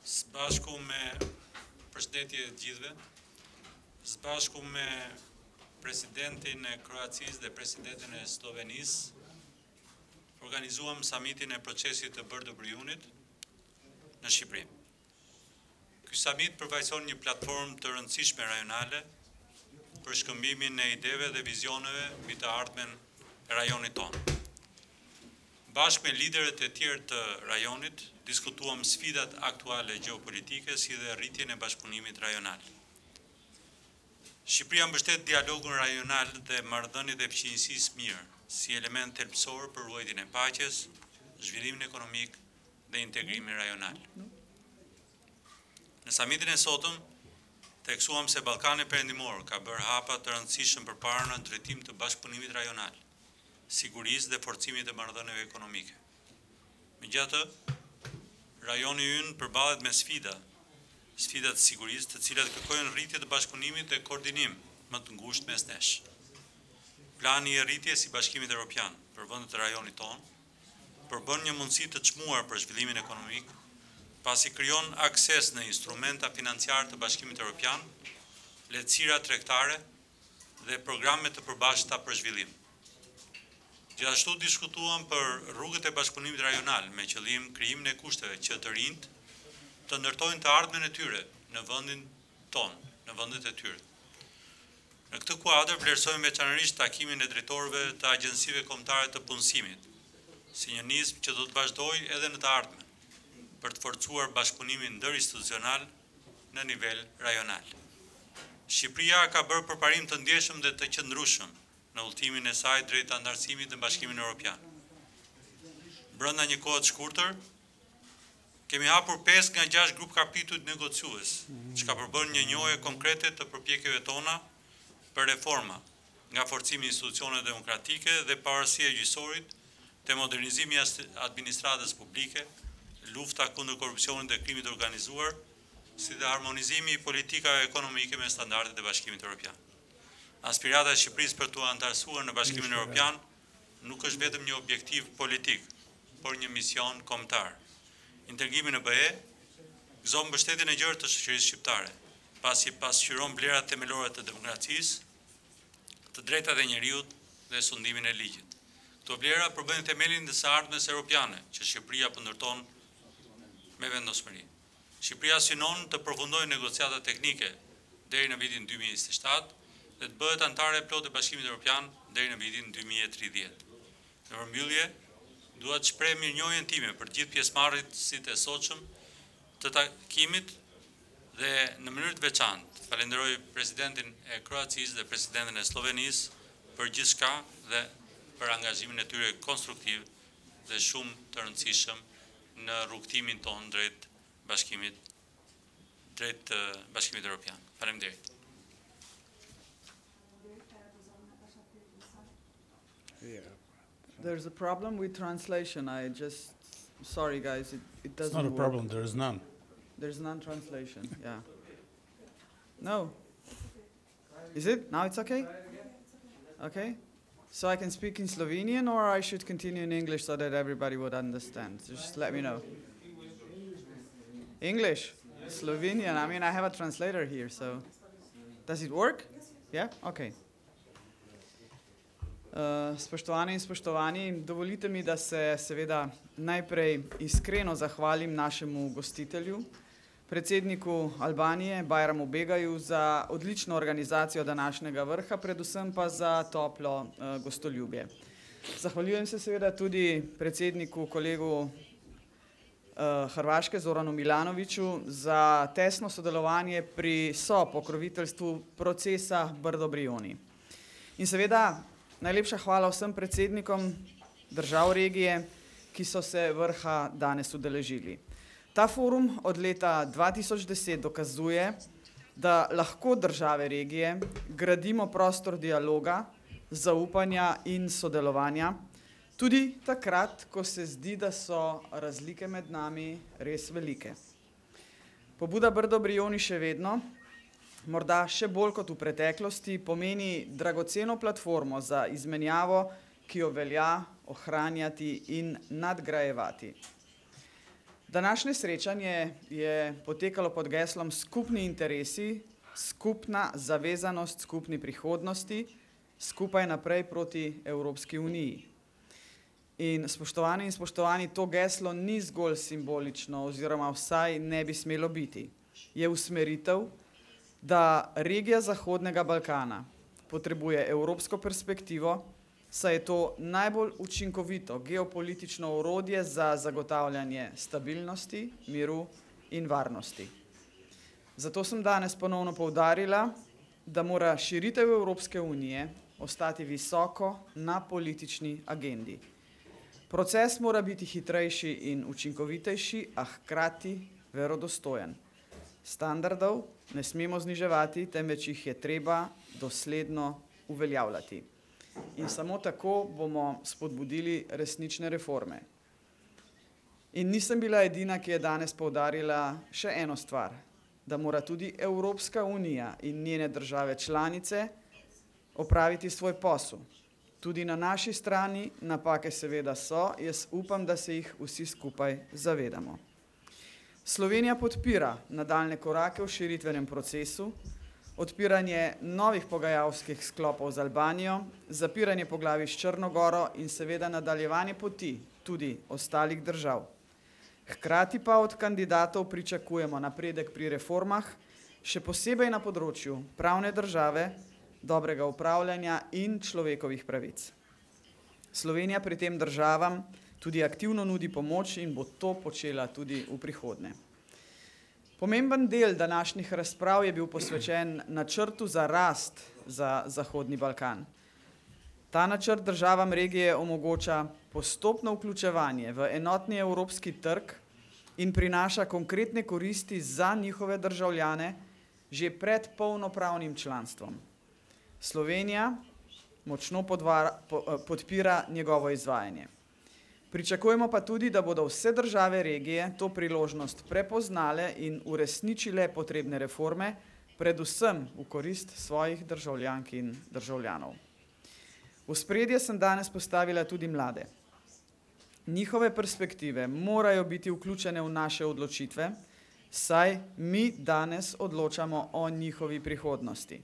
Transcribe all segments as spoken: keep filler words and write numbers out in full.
Së bashku me përshëndetje të gjithëve, së bashku me presidentin e Kroacisë dhe presidentin e Slovenisë, organizuam samitin e procesit të Bërdo-Briunit në Shqipëri. Ky samit përfaqëson një platformë të rëndësishme rajonale për shkëmbimin e ideve dhe vizioneve mbi të ardhmen e rajonit tonë. Bashkë me liderët e tjerë të rajonit, diskutuam sfidat aktuale gjeopolitike si dhe rritjen e bashkëpunimit rajonal. Shqipëria mbështet dialogun rajonal dhe marrëdhëniet e fqinjësisë mirë si element thelbësor për ruajtjen e paqes, zhvillimin ekonomik dhe integrimin rajonal. Në samitin e sotëm, theksuam se Ballkani Perëndimor ka bërë hapa të rëndësishëm përpara në drejtim të bashkëpunimit rajonal, sigurisë dhe forcimit të marrëdhënieve ekonomike. Megjithatë, rajoni ynë përballet me sfida, sfida të sigurisë, të cilat kërkojnë rritje të bashkëpunimit dhe koordinim më të ngushtë mes nesh. Plani i rritjes i Bashkimit Evropian për vendet e rajonit tonë përbën një mundësi të çmuar për zhvillimin ekonomik, pasi krijon akses në instrumenta financiare të Bashkimit Evropian, lehtësira tregtare dhe programe të përbashkëta për zhvillim. Gjithashtu diskutuam për rrugët e bashkëpunimit rajonal me qëllim krijimin e kushteve që të rinjt të ndërtojnë të ardhmen e tyre në vendin tonë, në vendet e tyre. Në këtë kuadër vlerësojmë veçanërisht takimin e drejtorëve të agjensive kombëtare të punësimit, si një nizmë që do të vazhdojë edhe në të ardhmen, për të forcuar bashkëpunimin ndërinstitucional në nivel rajonal. Shqipëria ka bërë përparim të ndjeshëm dhe të qëndrueshëm në udhëtimin e saj drejt anëtarësimit në Bashkimin Evropian. Brenda një kohe të shkurtër, kemi hapur pesë nga gjashtë grup kapitujt negociues, që ka përbërë një njohje konkrete të përpjekjeve tona për reforma, nga forcimi i institucioneve demokratike dhe pavarësia e gjyqësorit, te modernizimi i administratës publike, lufta kundër korrupsionit dhe krimit të organizuar, si dhe harmonizimi i politikave ekonomike me standardet e Bashkimit Evropian. Aspirata e Shqipërisë për të anëtarësuar në Bashkimin Evropian nuk është vetëm një objektiv politik, por një mision kombëtar. Integrimi në B E gëzon mbështetjen e gjerë të shoqërisë shqiptare, pasi pasqyron vlerat themelore të demokracisë, të drejtat e njerëzit dhe sundimin e ligjit. Këto vlera përbëjnë themelin të së ardhmes europiane që Shqipëria po ndërton me vendosmëri. Shqipëria synon të përfundojë negociata teknike deri në vitin dy mijë e njëzet e shtatë dhe të bëhet anëtare e plotë e Bashkimit Evropian deri në vitin dy mijë e tridhjetë. Në përmbyllje, dua të shpreh mirënjohjen time për gjithë pjesëmarrësit e sotshëm të takimit dhe në mënyrë të veçantë falenderoj presidentin e Kroacisë dhe presidentin e Slovenisë për gjithçka dhe për angazhimin e tyre konstruktiv dhe shumë të rëndësishëm në rrugtimin tonë drejt Bashkimit drejt Bashkimit Evropian. Faleminderit. There's a problem with translation. I just, sorry guys, it, it doesn't It's not a work. problem, there is none. There's non-translation, yeah. No. Is it? Now it's okay? Okay. So I can speak in Slovenian or I should continue in English so that everybody would understand? Just let me know. English? Slovenian, I mean, I have a translator here, so. Does it work? Yeah? Okay. Uh, spoštovane in spoštovani, dovolite mi, da se seveda najprej iskreno zahvalim našemu gostitelju, predsedniku Albanije, Bajramu Begaju, za odlično organizacijo današnjega vrha, predvsem pa za toplo uh, gostoljubje. Zahvaljujem se seveda tudi predsedniku, kolegu uh, Hrvaške, Zoranu Milanoviću, za tesno sodelovanje pri sopokroviteljstvu procesa Brdo-Brioni. In seveda najlepša hvala vsem predsednikom držav regije, ki so se vrha danes udeležili. Ta forum od leta dva tisoč deset dokazuje, da lahko države regije gradimo prostor dialoga, zaupanja in sodelovanja, tudi takrat, ko se zdi, da so razlike med nami res velike. Pobuda Brdo-Brioni še vedno, morda še bolj kot v preteklosti, pomeni dragoceno platformo za izmenjavo, ki jo velja ohranjati in nadgrajevati. Današnje srečanje je potekalo pod geslom Skupni interesi, skupna zavezanost skupni prihodnosti, skupaj naprej proti Evropski uniji. In spoštovani in spoštovani, to geslo ni zgolj simbolično oziroma vsaj ne bi smelo biti. Je usmeritev, da regija Zahodnega Balkana potrebuje evropsko perspektivo, saj je to najbolj učinkovito geopolitično orodje za zagotavljanje stabilnosti, miru in varnosti. Zato sem danes ponovno poudarila, da mora širitev Evropske unije ostati visoko na politični agendi. Proces mora biti hitrejši in učinkovitejši, a hkrati verodostojen. Standardov ne smemo zniževati, temveč jih je treba dosledno uveljavljati. In samo tako bomo spodbudili resnične reforme. In nisem bila edina, ki je danes poudarila še eno stvar, da mora tudi Evropska unija in njene države članice opraviti svoj posel. Tudi na naši strani napake seveda so, jaz upam, da se jih vsi skupaj zavedamo. Slovenija podpira nadaljne korake v širitvenem procesu, odpiranje novih pogajalskih sklopov z Albanijo, zapiranje poglavij s Črno goro in seveda nadaljevanje poti tudi ostalih držav. Hkrati pa od kandidatov pričakujemo napredek pri reformah, še posebej na področju pravne države, dobrega upravljanja in človekovih pravic. Slovenija pri tem državam tudi aktivno nudi pomoč in bo to počela tudi v prihodnje. Pomemben del današnjih razprav je bil posvečen načrtu za rast za Zahodni Balkan. Ta načrt državam regije omogoča postopno vključevanje v enotni evropski trg in prinaša konkretne koristi za njihove državljane že pred polnopravnim članstvom. Slovenija močno podvara, po, podpira njegovo izvajanje. Pričakujemo pa tudi, da bodo vse države regije to priložnost prepoznale in uresničile potrebne reforme, predvsem v korist svojih državljank in državljanov. V ospredje sem danes postavila tudi mlade. Njihove perspektive morajo biti vključene v naše odločitve, saj mi danes odločamo o njihovi prihodnosti.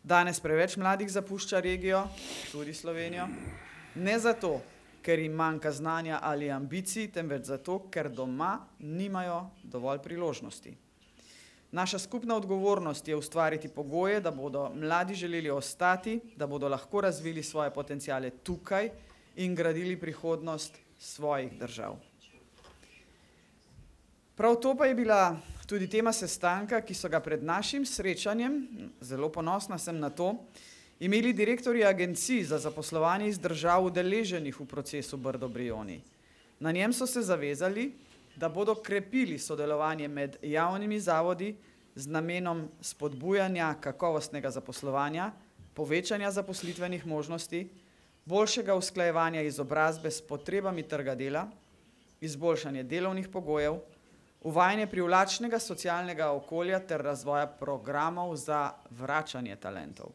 Danes preveč mladih zapušča regijo, tudi Slovenijo, ne zato, ker jim manjka znanja ali ambicij, temveč zato, ker doma nimajo dovolj priložnosti. Naša skupna odgovornost je ustvariti pogoje, da bodo mladi želeli ostati, da bodo lahko razvili svoje potenciale tukaj in gradili prihodnost svojih držav. Prav to pa je bila tudi tema sestanka, ki so ga pred našim srečanjem, zelo ponosna sem na to, imeli direktorji agencij za zaposlovanje iz držav udeleženih v procesu Brdo-Brioni. Na njem so se zavezali, da bodo krepili sodelovanje med javnimi zavodi z namenom spodbujanja kakovostnega zaposlovanja, povečanja zaposlitvenih možnosti, boljšega usklajevanja izobrazbe s potrebami trga dela, izboljšanje delovnih pogojev, uvajanje privlačnega socialnega okolja ter razvoja programov za vračanje talentov.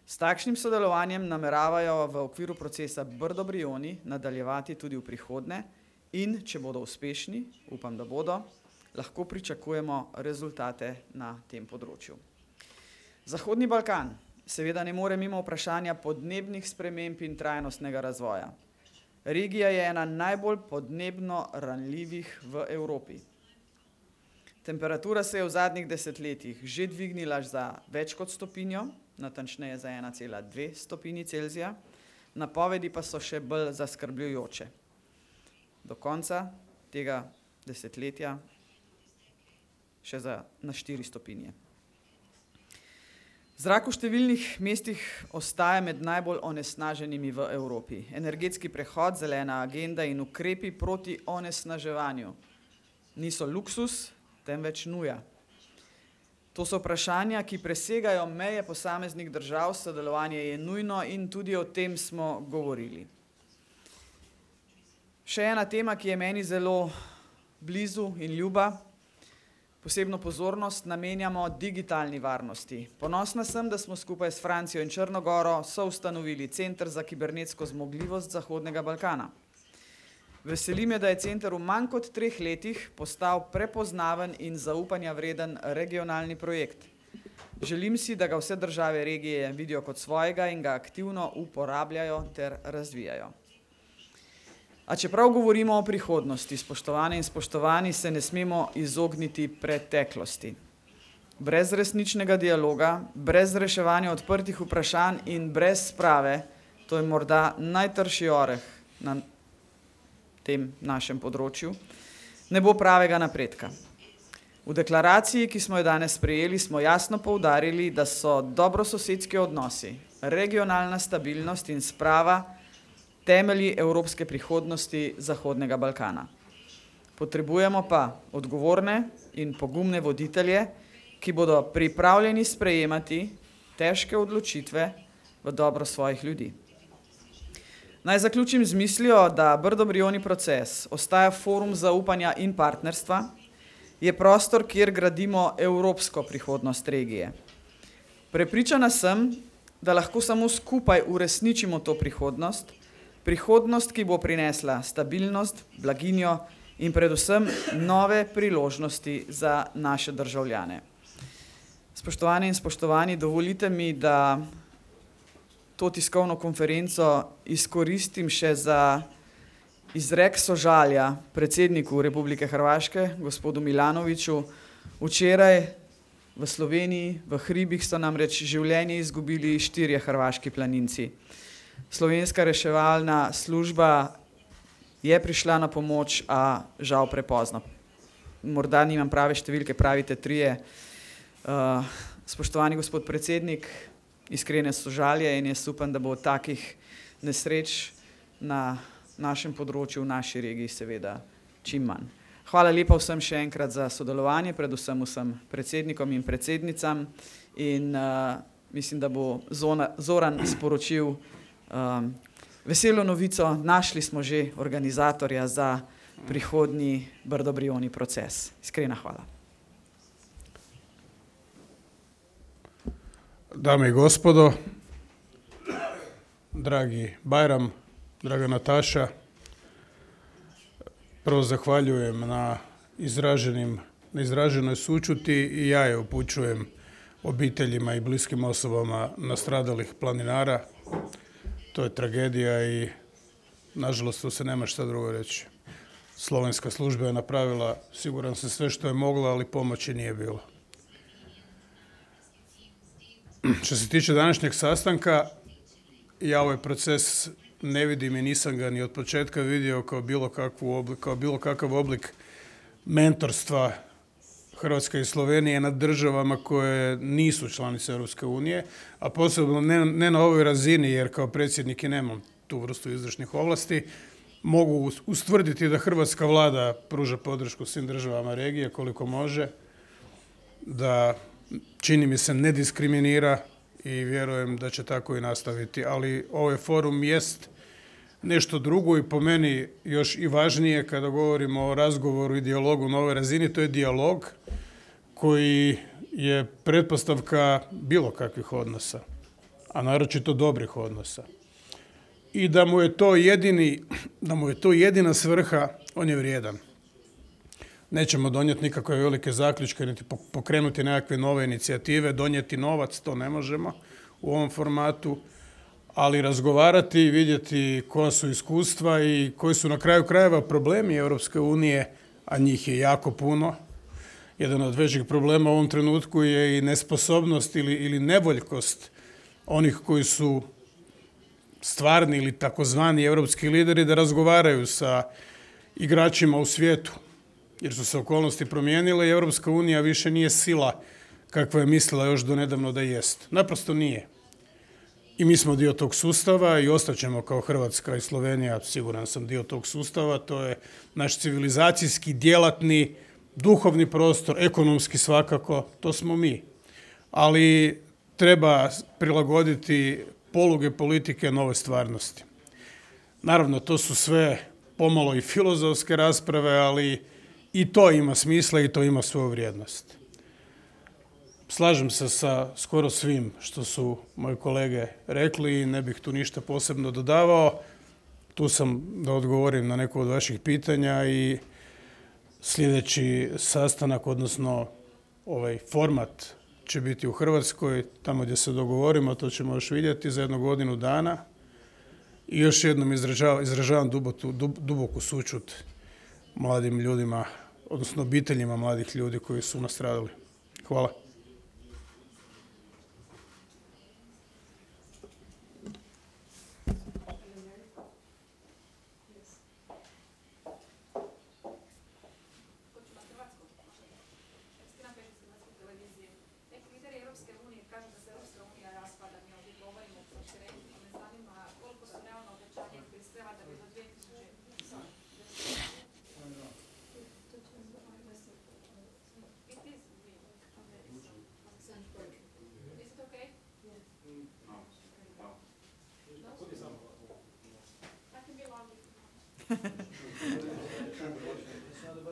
S takšnim sodelovanjem nameravajo v okviru procesa Brdo-Brioni nadaljevati tudi v prihodnje in, če bodo uspešni, upam, da bodo, lahko pričakujemo rezultate na tem področju. Zahodni Balkan seveda ne more mimo vprašanja podnebnih sprememb in trajnostnega razvoja. Regija je ena najbolj podnebno ranljivih v Evropi. Temperatura se je v zadnjih desetletjih že dvignila za več kot stopinjo, natančneje za ena cela dve stopinji Celzija, napovedi pa so še bolj zaskrbljujoče. Do konca tega desetletja še za na štiri stopinje. Zrak v številnih mestih ostaja med najbolj onesnaženimi v Evropi. Energetski prehod, zelena agenda in ukrepi proti onesnaževanju niso luksus, temveč nuja. To so vprašanja, ki presegajo meje posameznih držav, sodelovanje je nujno in tudi o tem smo govorili. Še ena tema, ki je meni zelo blizu in ljuba, posebno pozornost namenjamo digitalni varnosti. Ponosna sem, da smo skupaj s Francijo in Črno goro soustanovili Center za kibernetsko zmogljivost Zahodnega Balkana. Veseli me, da je center v manj kot treh letih postal prepoznaven in zaupanja vreden regionalni projekt. Želim si, da ga vse države regije vidijo kot svojega in ga aktivno uporabljajo ter razvijajo. A čeprav govorimo o prihodnosti, spoštovane in spoštovani, se ne smemo izogniti preteklosti. Brez resničnega dialoga, brez reševanja odprtih vprašanj in brez sprave, to je morda najtrši oreh na tem našem področju, ne bo pravega napredka. V deklaraciji, ki smo jo danes sprejeli, smo jasno poudarili, da so dobrososedski odnosi, regionalna stabilnost in sprava temelji evropske prihodnosti Zahodnega Balkana. Potrebujemo pa odgovorne in pogumne voditelje, ki bodo pripravljeni sprejemati težke odločitve v dobro svojih ljudi. Naj zaključim z mislijo, da Brdo-Brioni proces ostaja forum zaupanja in partnerstva, je prostor, kjer gradimo evropsko prihodnost regije. Prepričana sem, da lahko samo skupaj uresničimo to prihodnost, prihodnost, ki bo prinesla stabilnost, blaginjo in predvsem nove priložnosti za naše državljane. Spoštovane in spoštovani, dovolite mi, da to tiskovno konferenco izkoristim še za izrek sožalja predsedniku Republike Hrvaške, gospodu Milanoviću. Včeraj v Sloveniji, v hribih so namreč življenje izgubili štirje hrvaški planinci. Slovenska reševalna služba je prišla na pomoč, a žal prepozno. Morda nimam prave številke, pravite trije. Uh, spoštovani gospod predsednik, iskrene sožalje in jaz upam, da bo takih nesreč na našem področju, v naši regiji seveda čim manj. Hvala lepa vsem še enkrat za sodelovanje, predvsem vsem predsednikom in predsednicam in uh, mislim, da bo Zona, Zoran sporočil um, veselo novico, našli smo že organizatorja za prihodnji Brdo-Brioni proces. Iskrena hvala. Dame i gospodo, dragi Bajram, draga Nataša, prvo zahvaljujem na izraženim, na izraženoj sućuti i ja je upućujem obiteljima i bliskim osobama nastradalih planinara. To je tragedija i nažalost to se nema šta drugo reći. Slovenska služba je napravila, siguran sam, sve što je mogla, ali pomoći nije bilo. Što se tiče današnjeg sastanka, ja ovaj proces ne vidim i nisam ga ni od početka vidio kao bilo, kakvu oblik, kao bilo kakav oblik mentorstva Hrvatske i Slovenije nad državama koje nisu članice Europske unije, a posebno ne, ne na ovoj razini, jer kao predsjednik i nemam tu vrstu izvršnih ovlasti, mogu ustvrditi da hrvatska vlada pruža podršku svim državama regije koliko može, da čini mi se ne diskriminira i vjerujem da će tako i nastaviti. Ali ovaj forum jest nešto drugo i po meni još i važnije kada govorimo o razgovoru i dijalogu na ovoj razini, to je dijalog koji je pretpostavka bilo kakvih odnosa, a naročito dobrih odnosa. I da mu je to jedini, da mu je to jedina svrha, on je vrijedan. Nećemo donijeti nikakve velike zaključke, niti pokrenuti nekakve nove inicijative, donijeti novac, to ne možemo u ovom formatu, ali razgovarati i vidjeti koja su iskustva i koji su na kraju krajeva problemi Europske unije, a njih je jako puno. Jedan od većih problema u ovom trenutku je i nesposobnost ili, ili nevoljkost onih koji su stvarni ili takozvani europski lideri da razgovaraju sa igračima u svijetu, jer su se okolnosti promijenile i Europska unija više nije sila kakva je mislila još do nedavno da jest. Naprosto nije. I mi smo dio tog sustava i ostaćemo kao Hrvatska i Slovenija, siguran sam, dio tog sustava. To je naš civilizacijski, djelatni, duhovni prostor, ekonomski svakako, to smo mi. Ali treba prilagoditi poluge politike nove stvarnosti. Naravno, to su sve pomalo i filozofske rasprave, ali i to ima smisla i to ima svoju vrijednost. Slažem se sa skoro svim što su moji kolege rekli i ne bih tu ništa posebno dodavao. Tu sam da odgovorim na neko od vaših pitanja i sljedeći sastanak, odnosno ovaj format će biti u Hrvatskoj, tamo gdje se dogovorimo, to ćemo još vidjeti za jednu godinu dana. I još jednom izražavam, izražavam duboku, duboku sućut mladim ljudima, odnosno obiteljima mladih ljudi koji su nastradali. Hvala.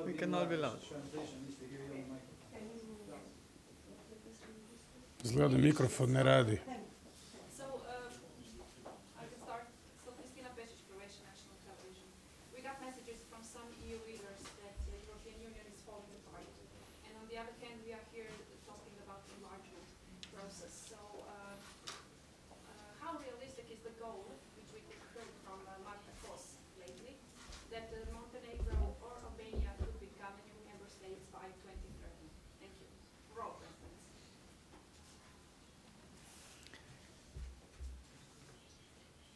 We can all be loud. Izgleda mikrofon ne radi. So, uh, I can start. So, Kristina Pešić, Croatian National Television. We got messages from some E U leaders that the European Union is falling apart. And on the other hand, we are here talking about the enlargement process. So, uh, uh, how realistic is the goal, which we heard from uh, Marta Kos lately, that uh, Montenegro or Albania could become a new member states by twenty thirty? Thank you. For all, for instance.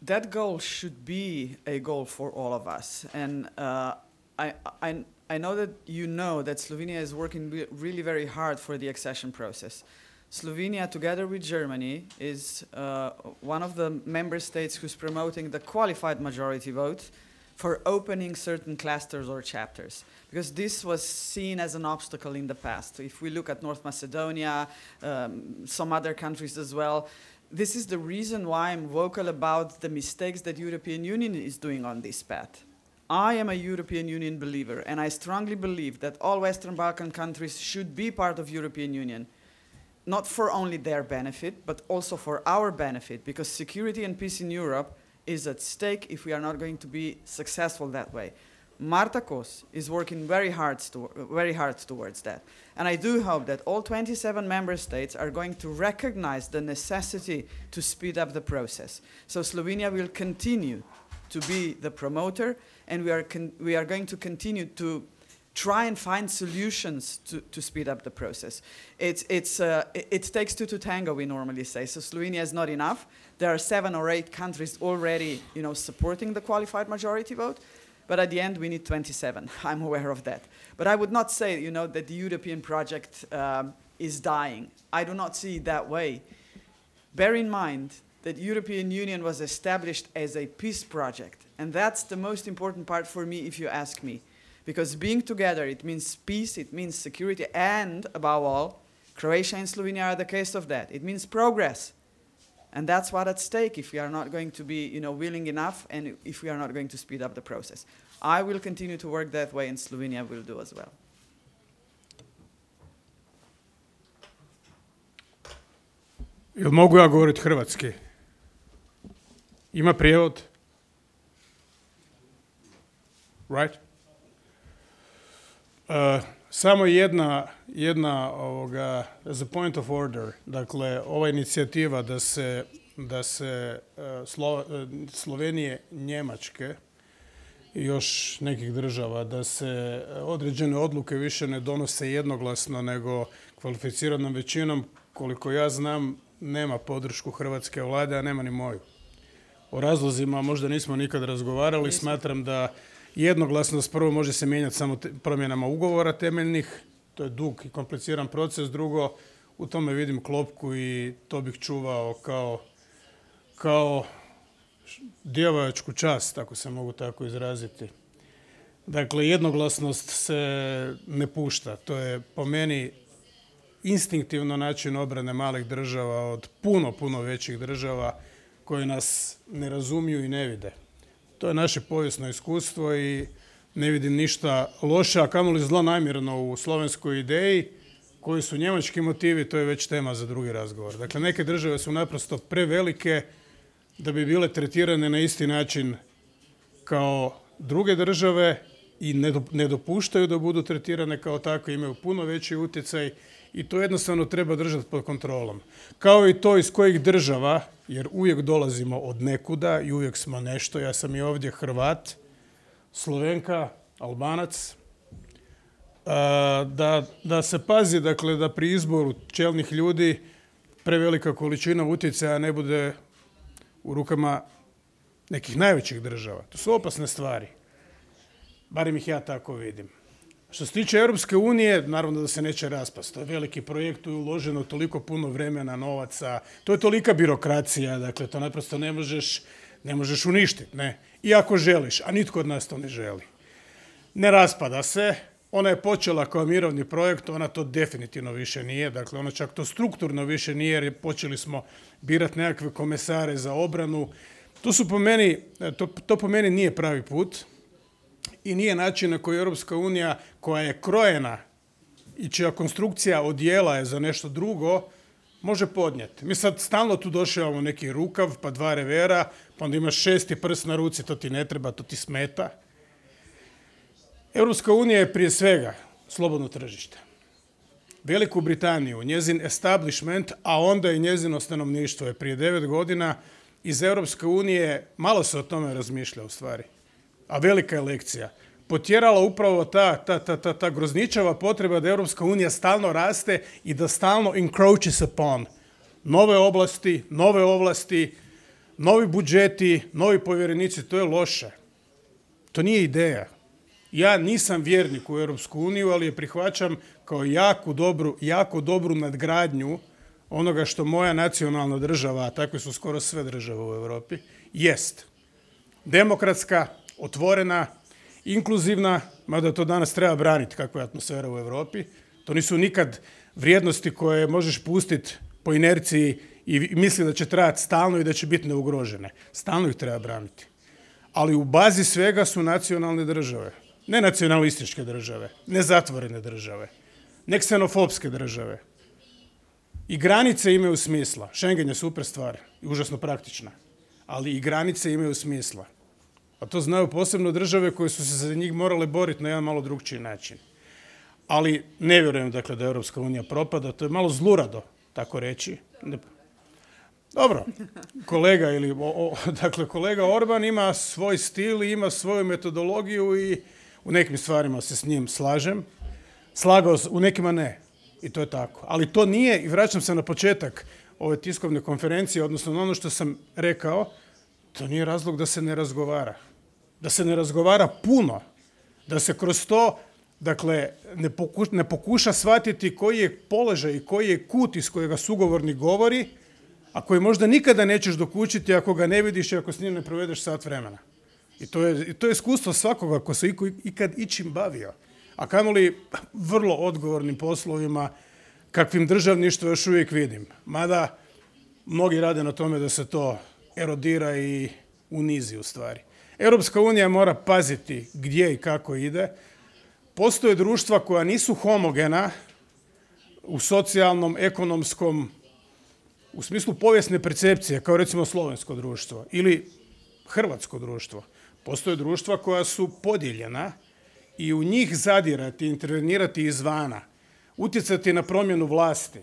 That goal should be a goal for all of us. And uh, I, I, I know that you know that Slovenia is working re- really very hard for the accession process. Slovenia, together with Germany, is uh, one of the member states who's promoting the qualified majority vote for opening certain clusters or chapters, because this was seen as an obstacle in the past. If we look at North Macedonia, um, some other countries as well, this is the reason why I'm vocal about the mistakes that European Union is doing on this path. I am a European Union believer, and I strongly believe that all Western Balkan countries should be part of European Union, not for only their benefit, but also for our benefit, because security and peace in Europe is at stake if we are not going to be successful that way. Marta Kos is working very hard, to, very hard towards that. And I do hope that all twenty-seven member states are going to recognize the necessity to speed up the process. So Slovenia will continue to be the promoter, and we are, con- we are going to continue to try and find solutions to, to speed up the process. It's, it's, uh, it, it takes two to tango, we normally say. So Slovenia is not enough. There are seven or eight countries already, you know, supporting the qualified majority vote. But at the end, we need twenty-seven. I'm aware of that. But I would not say, you know, that the European project um, is dying. I do not see it that way. Bear in mind that European Union was established as a peace project. And that's the most important part for me, if you ask me. Because being together, it means peace, it means security, and above all, Croatia and Slovenia are the case of that. It means progress. And that's what's at stake if we are not going to be, you know, willing enough and if we are not going to speed up the process. I will continue to work that way, and Slovenia will do as well. Jel mogu ja govoriti hrvatski? Ima prijevod? Right? Uh, samo jedna, jedna ovoga, as a point of order, dakle, ova inicijativa da se, da se uh, Slo, uh, Slovenije, Njemačke i još nekih država, da se određene odluke više ne donose jednoglasno nego kvalificiranom većinom, koliko ja znam, nema podršku hrvatske vlade, a nema ni moju. O razlozima možda nismo nikad razgovarali, nismo. Smatram da jednoglasnost prvo može se mijenjati samo te, promjenama ugovora temeljnih, to je dug i kompliciran proces, drugo, u tome vidim klopku i to bih čuvao kao, kao djevojačku čast, ako se mogu tako izraziti. Dakle, jednoglasnost se ne pušta, to je po meni instinktivno način obrane malih država od puno, puno većih država koje nas ne razumiju i ne vide. To je naše povijesno iskustvo i ne vidim ništa loše, a kamoli zlonamjerno u slovenskoj ideji. Koji su njemački motivi, to je već tema za drugi razgovor. Dakle, neke države su naprosto prevelike da bi bile tretirane na isti način kao druge države i ne, do, ne dopuštaju da budu tretirane kao takve, imaju puno veći utjecaj i to jednostavno treba držati pod kontrolom. Kao i to iz kojih država, jer uvijek dolazimo od nekuda i uvijek smo nešto. Ja sam i ovdje Hrvat, Slovenka, Albanac. Da, da se pazi, dakle, da pri izboru čelnih ljudi prevelika količina utjecaja ne bude u rukama nekih najvećih država. To su opasne stvari. Barem ih ja tako vidim. Što se tiče Europske unije, naravno da se neće raspasti. To je veliki projekt, tu je uloženo toliko puno vremena, novaca. To je tolika birokracija, dakle, to naprosto ne možeš, ne možeš uništiti, ne. I ako želiš, a nitko od nas to ne želi. Ne raspada se. Ona je počela kao mirovni projekt, ona to definitivno više nije, dakle ona čak to strukturno više nije jer počeli smo birati nekakve komesare za obranu. To su po meni, to, to po meni nije pravi put i nije način na koji Europska unija koja je krojena i čija konstrukcija odjela je za nešto drugo, može podnijeti. Mi sad stalno tu došavamo neki rukav, pa dva revera, pa onda imaš šesti prst na ruci, to ti ne treba, to ti smeta. Europska unija je prije svega slobodno tržište. Veliku Britaniju, njezin establishment, a onda i njezino stanovništvo je prije devet godina iz Europske unije, malo se o tome razmišlja u stvari, a velika je lekcija, potjerala upravo ta, ta, ta, ta, ta grozničava potreba da Europska unija stalno raste i da stalno encroaches upon nove oblasti, nove ovlasti, novi budžeti, novi povjerenici. To je loše. To nije ideja. Ja nisam vjernik u Europsku uniju, ali je prihvaćam kao jako dobru, jako dobru nadgradnju onoga što moja nacionalna država, a takve su skoro sve države u Europi, jest. Demokratska, otvorena, inkluzivna, mada to danas treba braniti kakva je atmosfera u Europi. To nisu nikad vrijednosti koje možeš pustiti po inerciji i misli da će trajati stalno i da će biti neugrožene. Stalno ih treba braniti. Ali u bazi svega su nacionalne države. Ne nacionalističke države, ne zatvorene države, ne ksenofobske države. I granice imaju smisla. Schengen je super stvar i užasno praktična. Ali i granice imaju smisla. A to znaju posebno države koje su se za njih morale boriti na jedan malo drugčiji način. Ali ne vjerujem, dakle, da Europska unija propada. To je malo zlurado, tako reći. Ne. Dobro, kolega ili, o, o, dakle, kolega Orban ima svoj stil i ima svoju metodologiju i u nekim stvarima se s njim slažem. Slagao se, u nekima ne. I to je tako. Ali to nije, i vraćam se na početak ove tiskovne konferencije, odnosno na ono što sam rekao, to nije razlog da se ne razgovara. Da se ne razgovara puno. Da se kroz to, dakle, ne, poku, ne pokuša shvatiti koji je položaj i koji je kut iz kojega sugovornik govori, a koji možda nikada nećeš dokučiti ako ga ne vidiš i ako s njim ne provedeš sat vremena. I to je, i to je iskustvo svakoga ko se ikad ičim bavio. A kamoli vrlo odgovornim poslovima kakvim državništvo još uvijek vidim. Mada mnogi rade na tome da se to erodira i unizi u stvari. Europska unija mora paziti gdje i kako ide. Postoje društva koja nisu homogena u socijalnom, ekonomskom, u smislu povijesne percepcije, kao recimo slovensko društvo ili hrvatsko društvo. Postoje društva koja su podijeljena i u njih zadirati, intervenirati izvana, utjecati na promjenu vlasti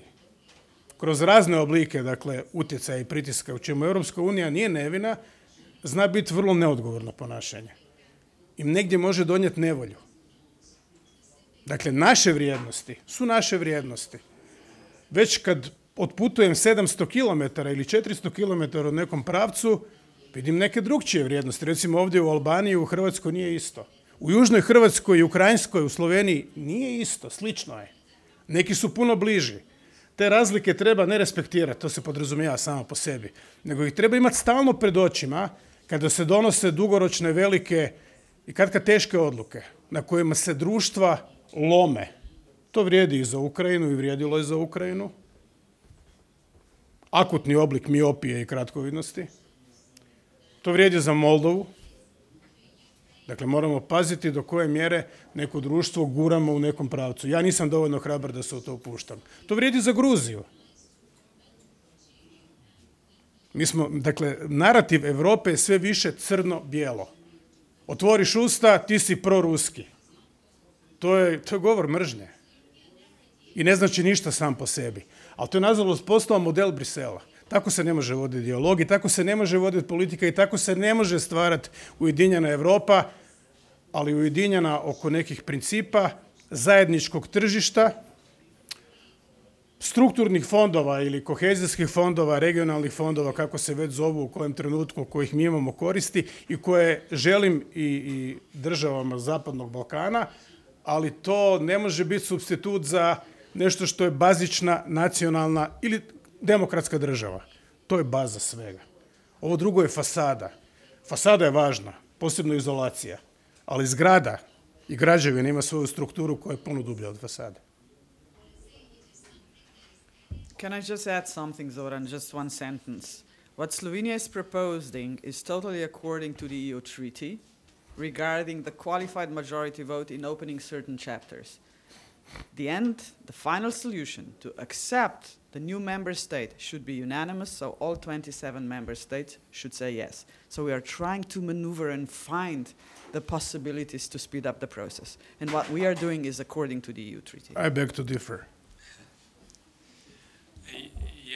kroz razne oblike, dakle, utjecaja i pritiska, u čemu Europska unija nije nevina, zna biti vrlo neodgovorno ponašanje. I negdje može donijeti nevolju. Dakle, naše vrijednosti su naše vrijednosti. Već kad otputujem sedamsto kilometara ili četiristo kilometara u nekom pravcu, vidim neke drugčije vrijednosti. Recimo ovdje u Albaniji, u Hrvatskoj nije isto. U Južnoj Hrvatskoj i Ukrajinskoj, u Sloveniji nije isto, slično je. Neki su puno bliži. Te razlike treba ne respektirati, to se podrazumijeva samo po sebi, nego ih treba imati stalno pred očima kada se donose dugoročne, velike i katkad teške odluke na kojima se društva lome. To vrijedi i za Ukrajinu i vrijedilo je za Ukrajinu. Akutni oblik miopije i kratkovidnosti. To vrijedi za Moldovu. Dakle, moramo paziti do koje mjere neko društvo guramo u nekom pravcu. Ja nisam dovoljno hrabar da se u to upuštam. To vrijedi za Gruziju. Mi smo, dakle, narativ Europe je sve više crno-bijelo. Otvoriš usta, ti si proruski. To je, to je govor mržnje. I ne znači ništa sam po sebi. Ali to je nažalost postao model Brisela. Tako se ne može voditi dijalog i tako se ne može voditi politika i tako se ne može stvarati ujedinjena Europa, ali ujedinjena oko nekih principa, zajedničkog tržišta, strukturnih fondova ili kohezijskih fondova, regionalnih fondova, kako se već zovu, u kojem trenutku kojih mi imamo koristi i koje želim i, i državama Zapadnog Balkana, ali to ne može biti supstitut za nešto što je bazična, nacionalna ili demokratska država. To je baza svega. Ovo drugo je fasada. Fasada je važna, posebno izolacija, ali zgrada i građevina ima svoju strukturu koja je puno dublja od fasade. Can I just add something, Zoran, just one sentence? What Slovenia is proposing is totally according to the E U treaty regarding the qualified majority vote in opening certain chapters. The end, the final solution to accept the new member state should be unanimous, so all twenty-seven member states should say yes. So we are trying to maneuver and find the possibilities to speed up the process. And what we are doing is according to the E U treaty. I beg to differ.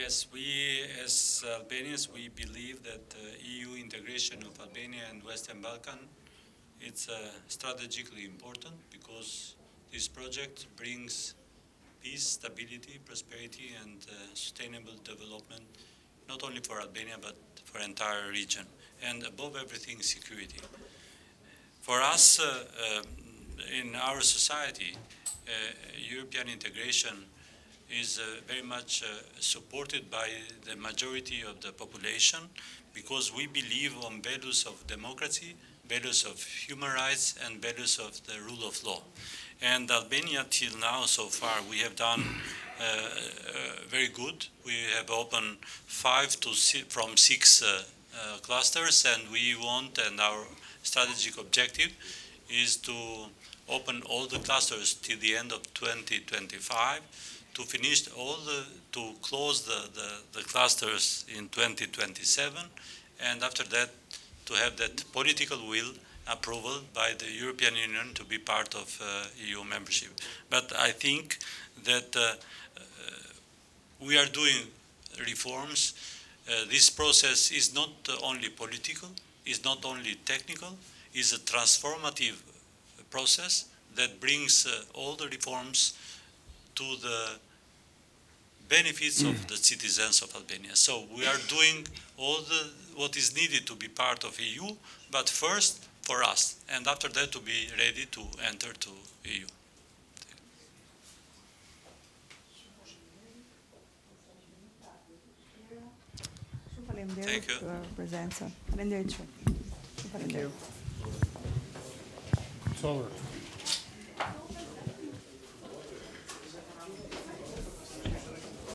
Yes, we as Albanians, we believe that uh, E U integration of Albania and Western Balkan, it's uh, strategically important because this project brings peace, stability, prosperity, and uh, sustainable development, not only for Albania, but for entire region. And above everything, security. For us, uh, uh, in our society, uh, European integration is uh, very much uh, supported by the majority of the population because we believe on values of democracy, values of human rights, and values of the rule of law. And Albania, till now, so far, we have done uh, uh, very good. We have opened five to six, from six uh, uh, clusters, and we want, and our strategic objective is to open all the clusters till the end of twenty twenty-five, to finish all the, to close the, the, the clusters in twenty twenty-seven, and after that, to have that political will approval by the European Union to be part of uh, E U membership. But I think that uh, uh, we are doing reforms. Uh, this process is not only political, is not only technical, is a transformative process that brings uh, all the reforms to the benefits of the citizens of Albania. So we are doing all the what is needed to be part of E U, but first for us, and after that to be ready to enter to E U. Thank you. Për prezencën. Faleminderit shumë. Shumë Thank you. faleminderit. It's over.